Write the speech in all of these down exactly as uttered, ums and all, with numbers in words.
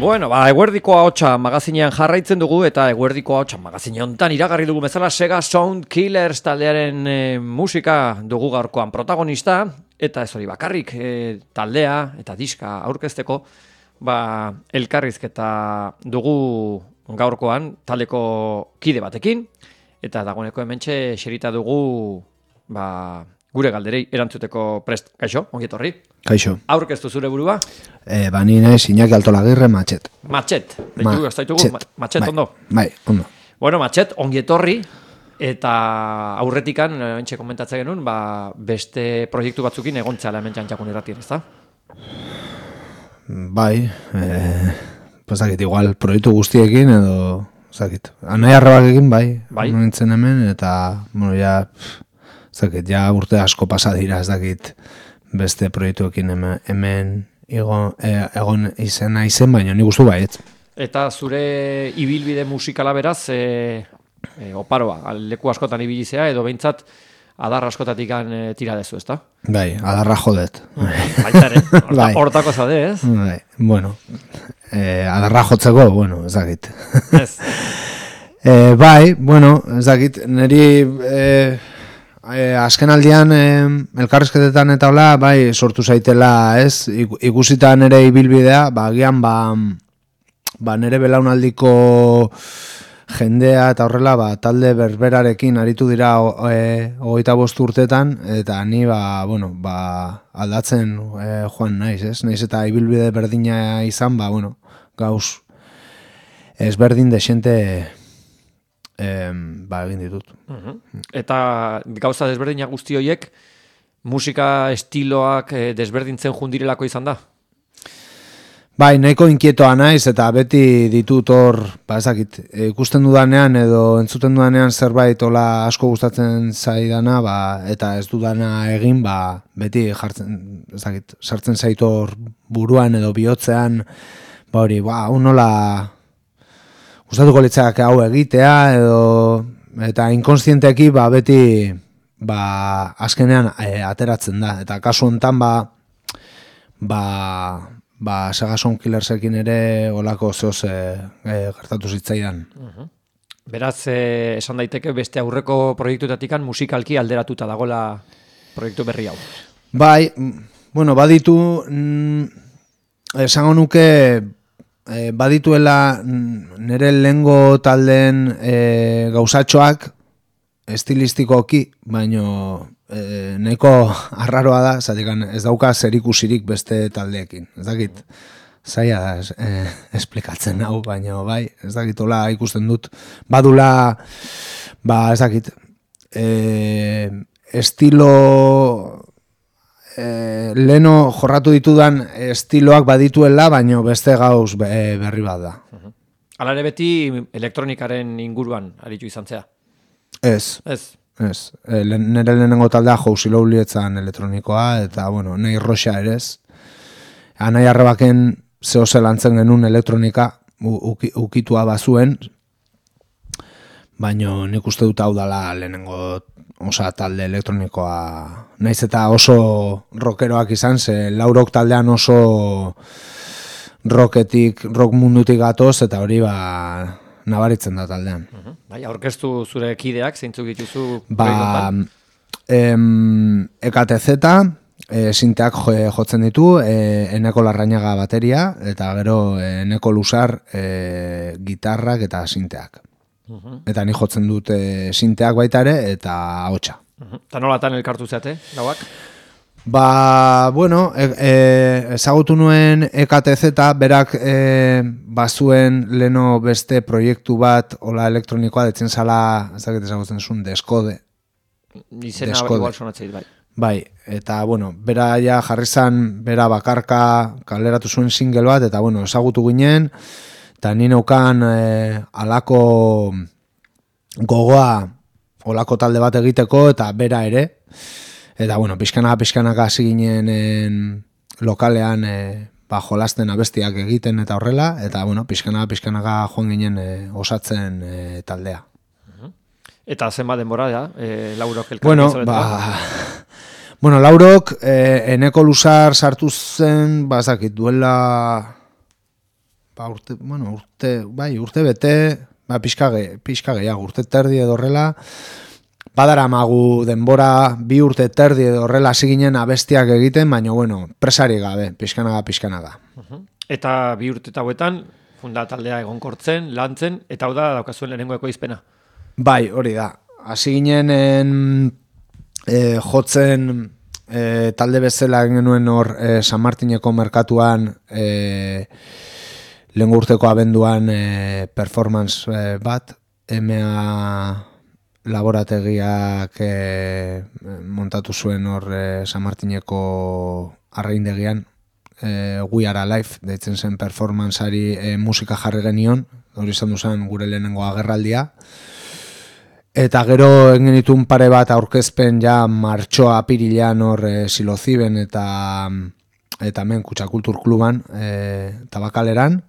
Bueno, ba, eguerdiko ahotsa magazinean jarraitzen dugu eta eguerdiko ahotsa magazine hontan iragarri dugu bezala Sega Sound Killers taldearen e, musika dugu gaurkoan protagonista eta ez hori bakarrik e, taldea eta diska aurkezteko ba, elkarrizketa dugu gaurkoan taldeko kide batekin eta dagoeneko hementxe xerita dugu ba, gure galderei erantzuteko prest. Kaixo, ongi etorri. Kaixo. Aurkeztu zure burua? Eh, bani naiz Iñaki Altolagirre Matxet. Matxet. Deitu gastaitugu Matxet ondo. Bai, ondo. Bueno, Matxet, ongi etorri eta aurretikan hementxe komentatzen genuen, ba, beste proiektu batzukin egontzala hemen Txantxakun irratien, ezta? Bai, eh, pozakit igual proiektu guztiekin edo, zakit. Anai arrebakekin bai, bai. Nintzen hemen eta, bueno, ja, zakit, ja urte asko pasa dira, ez dakit beste proiektuekin hemen, hemen egon, egon izena izen, baina nik ustu baiet. Eta zure ibilbide musikala beraz, e, e, oparoa, leku askotan ibilizea, edo behintzat adar askotatik e, tira dezu, ezta? Bai, adarra jodet. Baitaren, horta, hortako zade, ez? Bai, bueno, eh, adarra jotzeko, bueno, ez dakit. Ez. eh, bai, bueno, ez dakit, niri... Eh, Eh, azken aldian eh, elkarrizketetan eta hola, bai, sortu zaitela, ez, ikusita nere ibilbidea, ba, agian, ba, ba, nere belaunaldiko jendea eta horrela, ba, talde berberarekin aritu dira e, hogeita bost urtetan, eta ni, ba, bueno, ba, aldatzen e, joan naiz, ez, naiz eta ibilbide berdina izan, ba, bueno, gauz, ezberdin desente... Eh, ba, egin ditut. Uh-huh. Eta gauza desberdinak guzti horiek musika estiloak eh, desberdintzen jundirelako izan da? Bai, nahiko inkietoa naiz eta beti ditut hor, ba ezakit, ikusten dudanean edo entzuten dudanean zerbait hola asko gustatzen zaidana, ba, eta ez dudana egin, ba, beti jartzen, ezakit, sartzen zait hor buruan edo bihotzean, ba hori, ba, unola... Gustatuko litzak hau egitea edo eta inkonstienteki ba beti ba azkenean e, ateratzen da eta kasu hontan ba ba ba Sega Sound Killersekin ere holako zeoz e, e, gertatu zitzaidan. Uh-huh. Beraz e, esan daiteke beste aurreko proiektuetatikan musikalki alderatuta dagola proiektu berri hau. Bai, bueno, baditu mm, esango nuke E, badituela nire lehengo taldeen e, gauzatxoak estilistikoki, baino e, nahiko arraroa da, zatekan ez dauka zerikusirik beste taldeekin. Ez dakit, zaila da es, e, esplikatzen hau, baino bai, ez dakit, hola ikusten dut. Badula, ba ez dakit, e, estilo... E, leno jorratu ditudan estiloak badituela, baino beste gauz be, berri bat da. Uh-huh. Hala ere beti elektronikaren inguruan aritu izan zea? Ez. Ez. Ez. E, le, nire lehenengo taldea Jousi Loulietzan elektronikoa, eta bueno, nahi roxa ere ez. Anai arrebaken zehose lantzen genuen elektronika uki, ukitua bazuen, baino nik uste dut hau dala lehenengo osa talde elektronikoa, naiz eta oso rockeroak izan, ze laurok taldean oso rocketik, rock mundutik gatoz, eta hori ba nabaritzen da taldean. Uh-huh. Bai, aurkeztu zure kideak, zeintzuk dituzu? Ba, em, E K T Z, e, sinteak jo, jotzen ditu, e, Eneko Larrañaga bateria, eta gero e, Eneko Lusar e, gitarrak eta sinteak. Uh-huh. Eta ni jotzen dut e, sinteak baita ere eta ahotsa. Uh-huh. Eta nolatan elkartu zeate, lauak? Ba, bueno, e, e, ezagutu nuen E K T Z, berak e, bazuen leno beste proiektu bat, hola elektronikoa, detzen zala, ez dakit ezagutzen zuen, Deskode. Izena igual sonatzeit, bai. Bai, eta, bueno, bera ja jarri zan, bera bakarka kaleratu zuen single bat, eta, bueno, ezagutu ginen, eta ni neukan eh, alako gogoa olako talde bat egiteko eta bera ere. Eta bueno, pixkanaka pixkanaka hasi ginen en, lokalean eh, ba, jolasten abestiak egiten eta horrela. Eta bueno, pixkanaka pixkanaka joan ginen eh, osatzen eh, taldea. Eta zenbat denbora da, eh, Laurok elkarri bueno, ba, bueno, Laurok eh, Eneko Lusar sartu zen, bazakit, duela... ba, urte, bueno, urte, bai, urte bete, ba, pixka, ge, pixka gehiago, urte terdi edo horrela, badara magu denbora bi urte terdi edo horrela hasi ginen abestiak egiten, baina, bueno, presari gabe, pixkanaga, pixkanaga. Uh-huh. Eta bi urte hauetan, funda taldea egonkortzen, lantzen, eta hau da daukazuen lehenengo ekoizpena. Bai, hori da. Hasi ginen en, e, jotzen e, talde bezala egin genuen hor e, San Martineko merkatuan e, lehengo urteko abenduan e, performance e, bat, M A laborategiak e, montatu zuen hor e, San Martineko arraindegian, e, We Are Alive, deitzen zen performanceari e, musika jarri genion, hori izan duzan gure lehenengo agerraldia. Eta gero egin ditun pare bat aurkezpen ja martxoa apirilean hor e, Siloziben eta eta hemen Kutsakultur Kluban e, tabakaleran.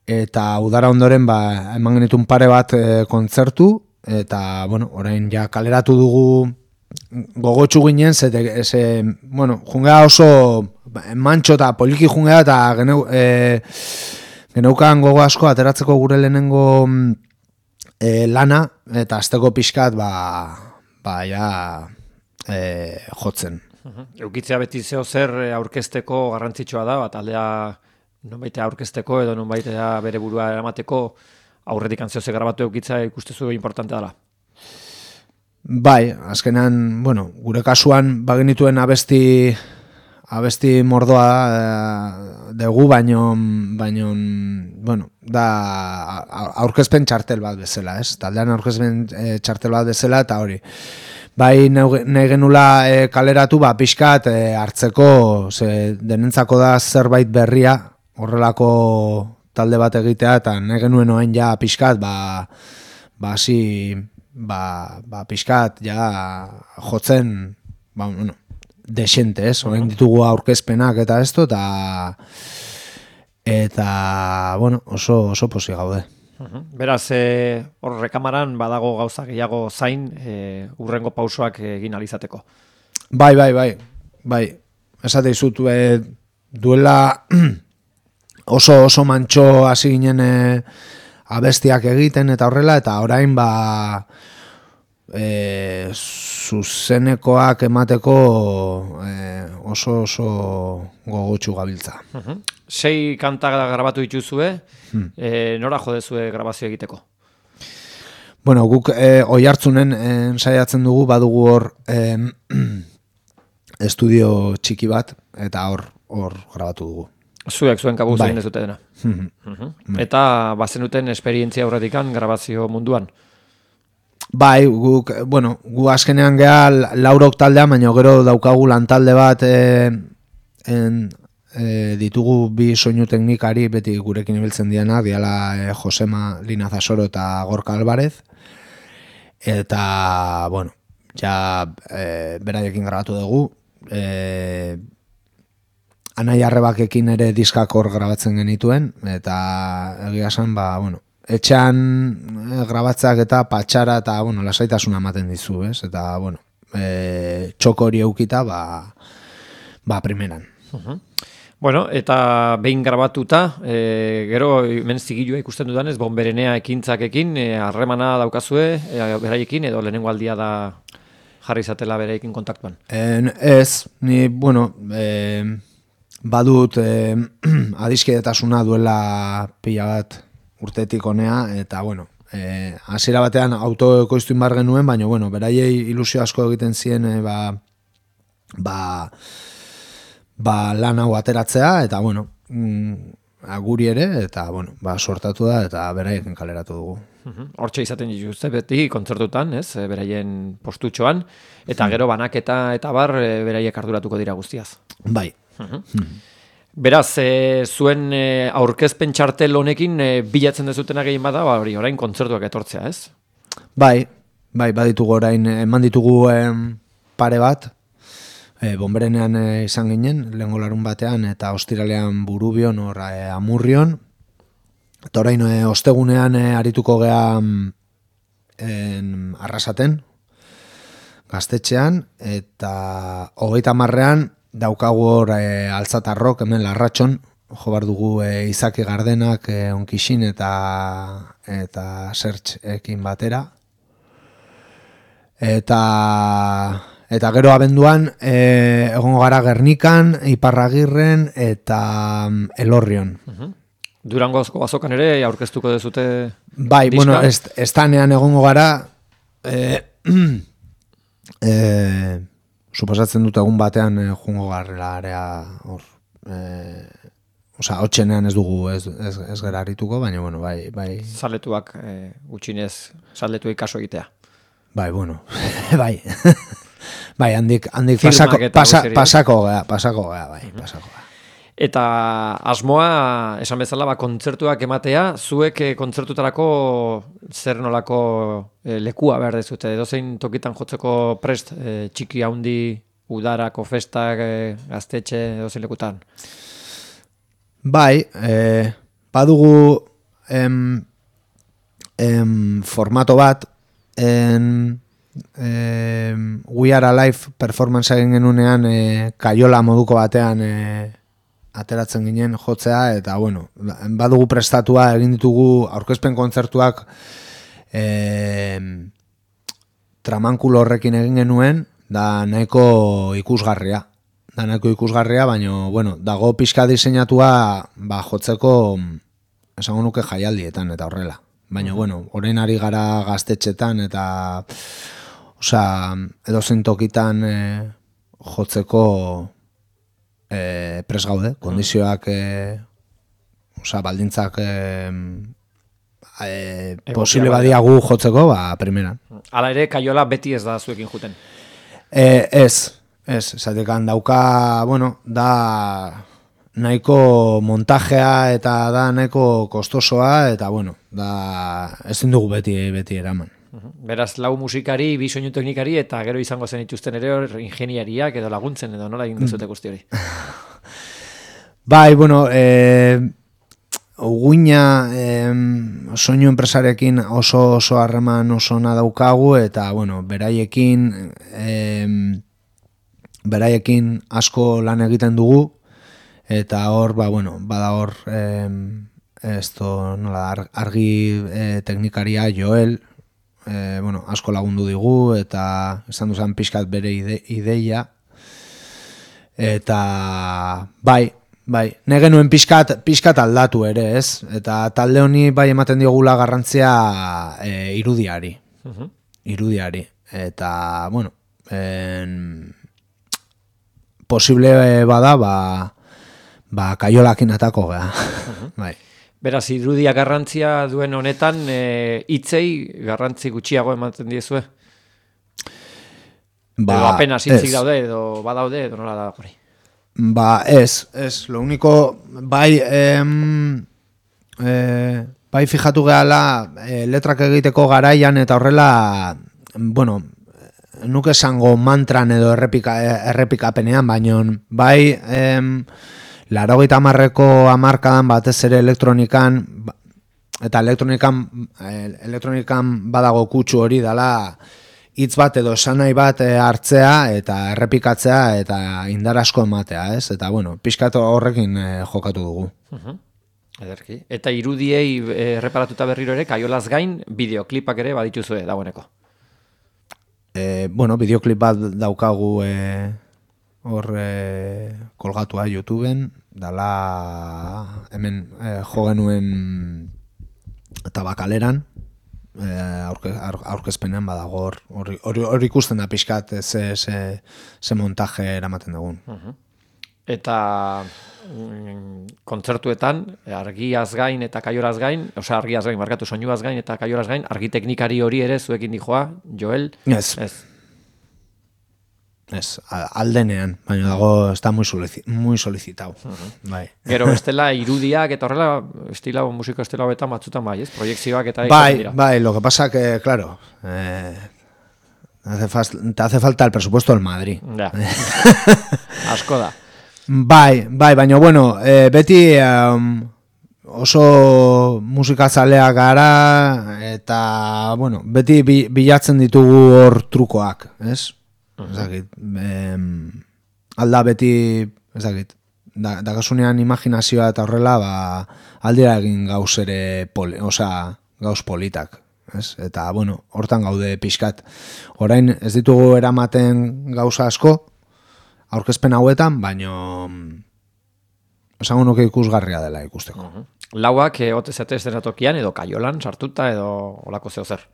Eta udara ondoren ba, eman genitun pare bat e, kontzertu, eta bueno, orain ja kaleratu dugu gogotsu ginen, ze, ze bueno, jungea oso mantxo eta poliki jungea, eta geneu, e, geneukan gogo asko ateratzeko gure lehenengo e, lana, eta azteko pixkat ba, ba ja e, jotzen. Uh-huh. Eukitzea beti zeo zer aurkezteko garrantzitsua da, bat aldea nonbaitea aurkezteko edo nonbaitea bere burua eramateko aurretik antzio ze grabatu eukitza ikustezu importante dela. Bai, azkenan, bueno, gure kasuan bagenituen abesti abesti mordoa e, dugu, baino, baino, bueno, da aurkezpen txartel bat bezala, ez? Taldean aurkezpen e, txartel bat bezala, eta hori. Bai, nahi genula e, kaleratu, ba, pixkat e, hartzeko, ze denentzako da zerbait berria, horrelako talde bat egitea, eta nahi genuen oain ja pixkat, ba, ba, si, ba, ba, pixkat, ja, jotzen, ba, bueno, desente, ez? Oain ditugu aurkezpenak eta esto, eta, eta, bueno, oso, oso posi gaude. Uh-huh. Beraz, e, hor rekamaran badago gauza gehiago zain, e, urrengo pausoak egin alizateko. Bai, bai, bai, bai, esate izut, e, duela oso oso mantxo hasi ginen e, abestiak egiten eta horrela, eta orain ba e, zuzenekoak emateko e, oso oso gogotsu gabiltza. Uh-huh. Sei kanta grabatu dituzue, hmm. e, nora jodezue grabazio egiteko? Bueno, guk e, Oiartzunen ensaiatzen dugu, badugu hor e, estudio txiki bat, eta hor hor grabatu dugu. Zuek zuen kabuz egin ez dute dena. Mm-hmm. Uh-huh. Eta bazen duten esperientzia aurretikan grabazio munduan? Bai, guk, bueno, gu azkenean geha laurok taldea, baina gero daukagu lantalde bat e, en, e, ditugu bi soinu teknikari beti gurekin ibiltzen diana, diala e, Josema Linazasoro eta Gorka Alvarez. Eta, bueno, ja e, beraiekin grabatu dugu. E, Anai Arrebakekin ere diskakor grabatzen genituen, eta egia esan, ba, bueno, etxean e, grabatzak eta patxara eta, bueno, lasaitasuna ematen dizu, ez? Eta, bueno, e, txoko hori eukita, ba, ba primeran. Uh-huh. Bueno, eta behin grabatuta, e, gero hemen zigilua ikusten dudanez, Bonberenea ekintzakekin, harremana e, daukazue, e, beraiekin, edo lehenengo aldia da jarri izatela beraiekin kontaktuan? En, ez, ni, bueno, e, badut eh, adiskidetasuna duela pila bat urtetik honea, eta bueno, eh, hasiera batean autoekoiztu inbar genuen, baina bueno, beraiei ilusio asko egiten zien eh, ba, ba, ba lan hau ateratzea, eta bueno, mm, guri ere, eta bueno, ba, sortatu da, eta beraiekin kaleratu dugu. Hortxe izaten dituzte beti kontzertutan, ez, beraien postutxoan, eta gero banaketa eta bar beraiek arduratuko dira guztiaz. Bai. Uh-huh. Beraz, e, zuen e, aurkezpen txartel honekin e, bilatzen dezutena gehien bada, ba, hori orain kontzertuak etortzea, ez? Bai, bai, baditugu orain, eman ditugu em, pare bat, e, Bonberenean e, izan ginen, lehengo larun batean, eta ostiralean Burubion, or, e, Amurrion, eta orain e, ostegunean e, arituko gea en, Arrasaten, Gaztetxean, eta hogeita marrean daukagu hor e, Altzatarrok, hemen Larratxon, jo bar dugu e, Izaki Gardenak e, Onkixin eta eta Sertxekin batera. Eta eta gero abenduan e, egongo gara Gernikan, Iparragirren eta um, Elorrion. Uh-huh. Durangozko azokan ere aurkeztuko dezute bai, diska? Bueno, est, estanean egongo gara e, e, suposatzen dut egun batean e, jungo garrela area hor e, osea, hotxenean ez dugu ez, ez, ez gara harrituko, baina bueno, bai, bai. Zaletuak e, gutxinez zaletuei kaso egitea. Bai, bueno, bai. Bai, handik, handik pasako, pasa, pasako gea, pasako gea, bai, pasako gea. Eta asmoa, esan bezala, ba, kontzertuak ematea, zuek e, kontzertutarako zer nolako e, lekua behar dezute, edozein tokitan jotzeko prest, e, txiki handi, udarako festak, e, gaztetxe, edozein lekutan? Bai, e, badugu em, em, formato bat, en, em, We Are Alive performance egin genunean e, kaiola moduko batean e, ateratzen ginen jotzea, eta bueno, badugu prestatua egin ditugu aurkezpen kontzertuak e, tramankulo horrekin egin genuen, da nahiko ikusgarria. Da nahiko ikusgarria, baina bueno, dago pixka diseinatua ba, jotzeko esango nuke jaialdietan eta horrela. Baina bueno, orain ari gara gaztetxetan eta osea, edozein tokitan e, jotzeko E, pres gaude, kondizioak e, oza, baldintzak e, e, posible badiagu jotzeko, ba, primeran. Hala ere, kaiola beti ez da zuekin juten? E, ez, ez, esatekan dauka, bueno, da nahiko montajea eta da nahiko kostosoa, eta bueno, da ezin dugu beti, beti eraman. Beraz, lau musikari, bi soinu teknikari eta gero izango zen ituzten ere hor ingeniariak edo laguntzen edo nola egin dezute guzti hori. Bai, bueno, e, uguina e, soinu enpresarekin oso oso harreman oso ona daukagu eta bueno, beraiekin e, beraiekin asko lan egiten dugu eta hor, ba, bueno, bada hor e, esto, nola, argi e, teknikaria Joel, E, bueno, asko lagundu digu eta esan duzan pixkat bere ide, ideia eta bai, bai, ne genuen pixkat, pixkat aldatu ere, ez? Eta talde honi bai ematen diogula garrantzia e, irudiari, uh-huh. irudiari eta bueno en, posible bada ba, ba kaiolakin atako gea, uh-huh. bai. Beraz, irudia garrantzia duen honetan, e, hitzei garrantzi gutxiago ematen diezue? Ba, edo apenas hitzik daude, edo badaude, edo nola da hori? Ba, ez, ez, lo único, bai, em, e, bai fijatu gehala e, letrak egiteko garaian eta horrela, bueno, nuke esango mantran edo errepika, errepikapenean, baino, bai, em, Laurogeita hamarreko hamarkadan batez ere elektronikan eta elektronikan elektronikan badago kutsu hori dela hitz bat edo esanai bat hartzea eta errepikatzea eta indar asko ematea, ez? Eta bueno, pixkat horrekin jokatu dugu. Uh-huh. Ederki. Eta irudiei erreparatuta berriro ere kaiolaz gain bideoklipak ere badituzue dagoeneko. E, bueno, bideoklip bat daukagu e, hor e, kolgatua YouTubeen, dala hemen e, jo genuen tabakaleran, e, aurke, aurkezpenean badago hor, hor ikusten da pixkat ze, ze, ze montaje eramaten dugun. Uh-huh. Eta mm, kontzertuetan, argiaz gain eta kaioraz gain, osea argiaz gain, markatu soinuaz gain eta kaioraz gain, argi teknikari hori ere zuekin dijoa, Joel? Ez. Ez. Ez, aldenean, baina dago, está muy, solici muy solicitado. Uh-huh. Bai. Gero, estela irudiak eta horrela, estila musiko estela hobetan batzutan bai, ez? Proiekzioak eta... Bai, bai, lo que pasa que, claro, eh, hace te hace falta el presupuesto del Madrid. Ja, asko da. Bai, bai, baina, bueno, eh, beti um, oso musikazaleak gara eta, bueno, beti bi, bilatzen ditugu hor trukoak, ez? Ezagit, em, alda beti, ezagit, da, dakasunean imaginazioa eta horrela, ba, aldira egin gauz ere, poli, osea, gauz politak. Ez? Eta, bueno, hortan gaude pixkat. Orain ez ditugu eramaten gauza asko, aurkezpen hauetan, baino esango nuke ikusgarria dela ikusteko. Uh-huh. Lauak, eh, ote zate tokian edo kaiolan sartuta edo olako zeo zer.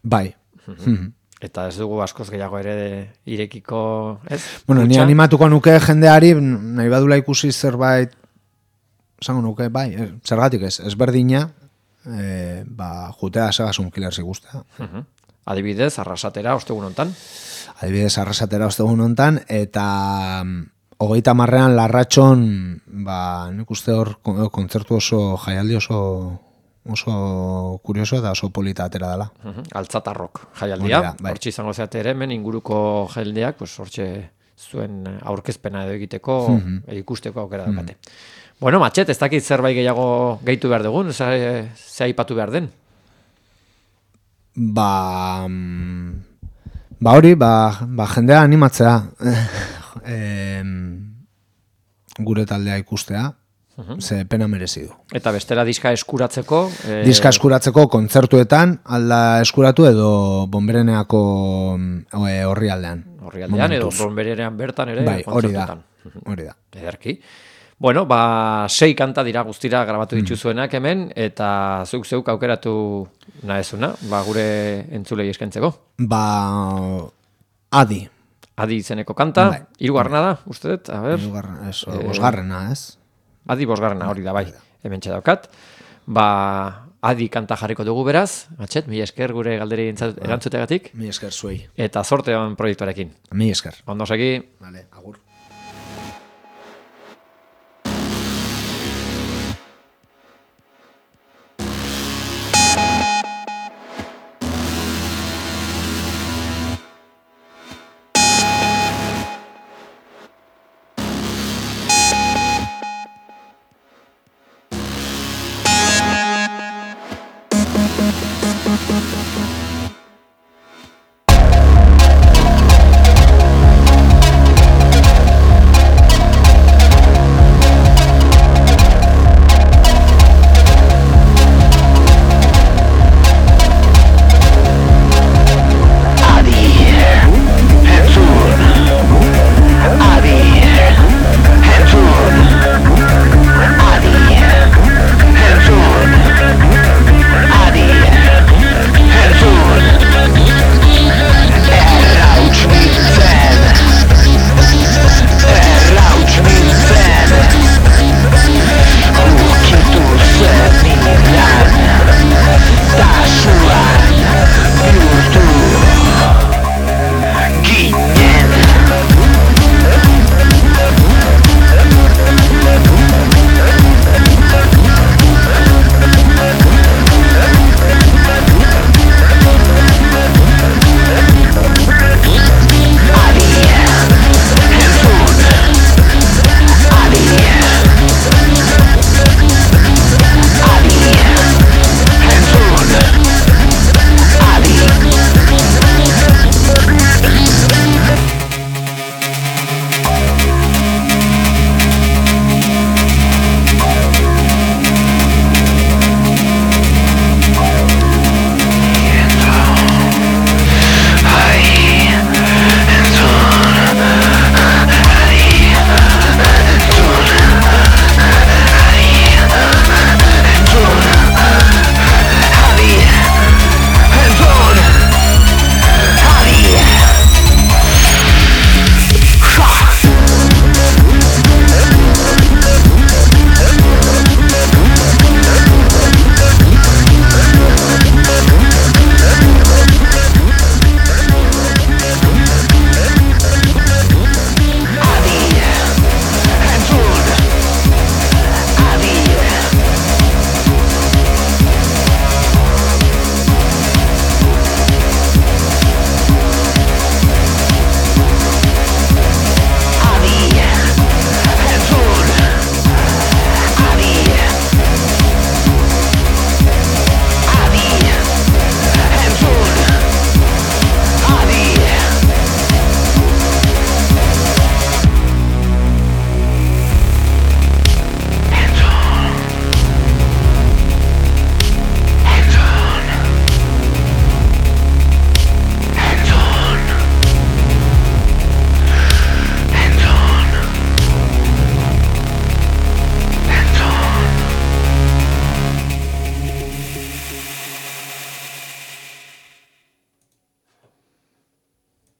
Bai. Uh-huh. Eta ez dugu askoz gehiago ere irekiko, ez? Bueno, ni animatuko nuke jendeari, nahi badula ikusi zerbait, esango nuke, bai, zergatik ez, ezberdina, e, ba, jutea Segasun Killers ikustea. Uh-huh. Adibidez, Arrasatera ostegun hontan. Adibidez, Arrasatera ostegun hontan, eta hogeita marrean Larratxon, ba, nik uste hor kontzertu oso, jaialdi oso oso kurioso eta oso polita atera dela. Uh-huh. Altzatarrok jaialdia. Bai. Hortxe izango zeate ere, hemen inguruko jaialdiak, pues, hortxe zuen aurkezpena edo egiteko, uh-huh. ikusteko aukera uh-huh. dakate. Bueno, Matxet, ez dakit zerbait gehiago gehitu behar dugun, ze, ze aipatu behar den? Ba, ba hori, ba, ba jendea animatzea e, gure taldea ikustea, uh-huh. ze pena merezi du. Eta bestela diska eskuratzeko? E... Diska eskuratzeko kontzertuetan, alda eskuratu edo Bonbereneako horri aldean. Horri aldean edo Bonberenean bertan ere bai, kontzertuetan. Hori da. Ederki. Bueno, ba, sei kanta dira guztira grabatu dituzuenak hemen, eta zuk zeuk aukeratu nahezuna, ba, gure entzulei eskentzeko. Ba, adi. Adi izeneko kanta, bai. Hirugarrena da, uste dut, a ber. Hirugarrena, ez, eh, bosgarrena, ez? Adi bosgarrena, hori da, bai, hemen txedaukat. Ba, adi kanta jarriko dugu beraz, Matxet, mi esker gure galderi erantzutegatik. Mi esker zuei. Eta zorte on proiektuarekin. Mi esker. Ondo segi. Vale, agur.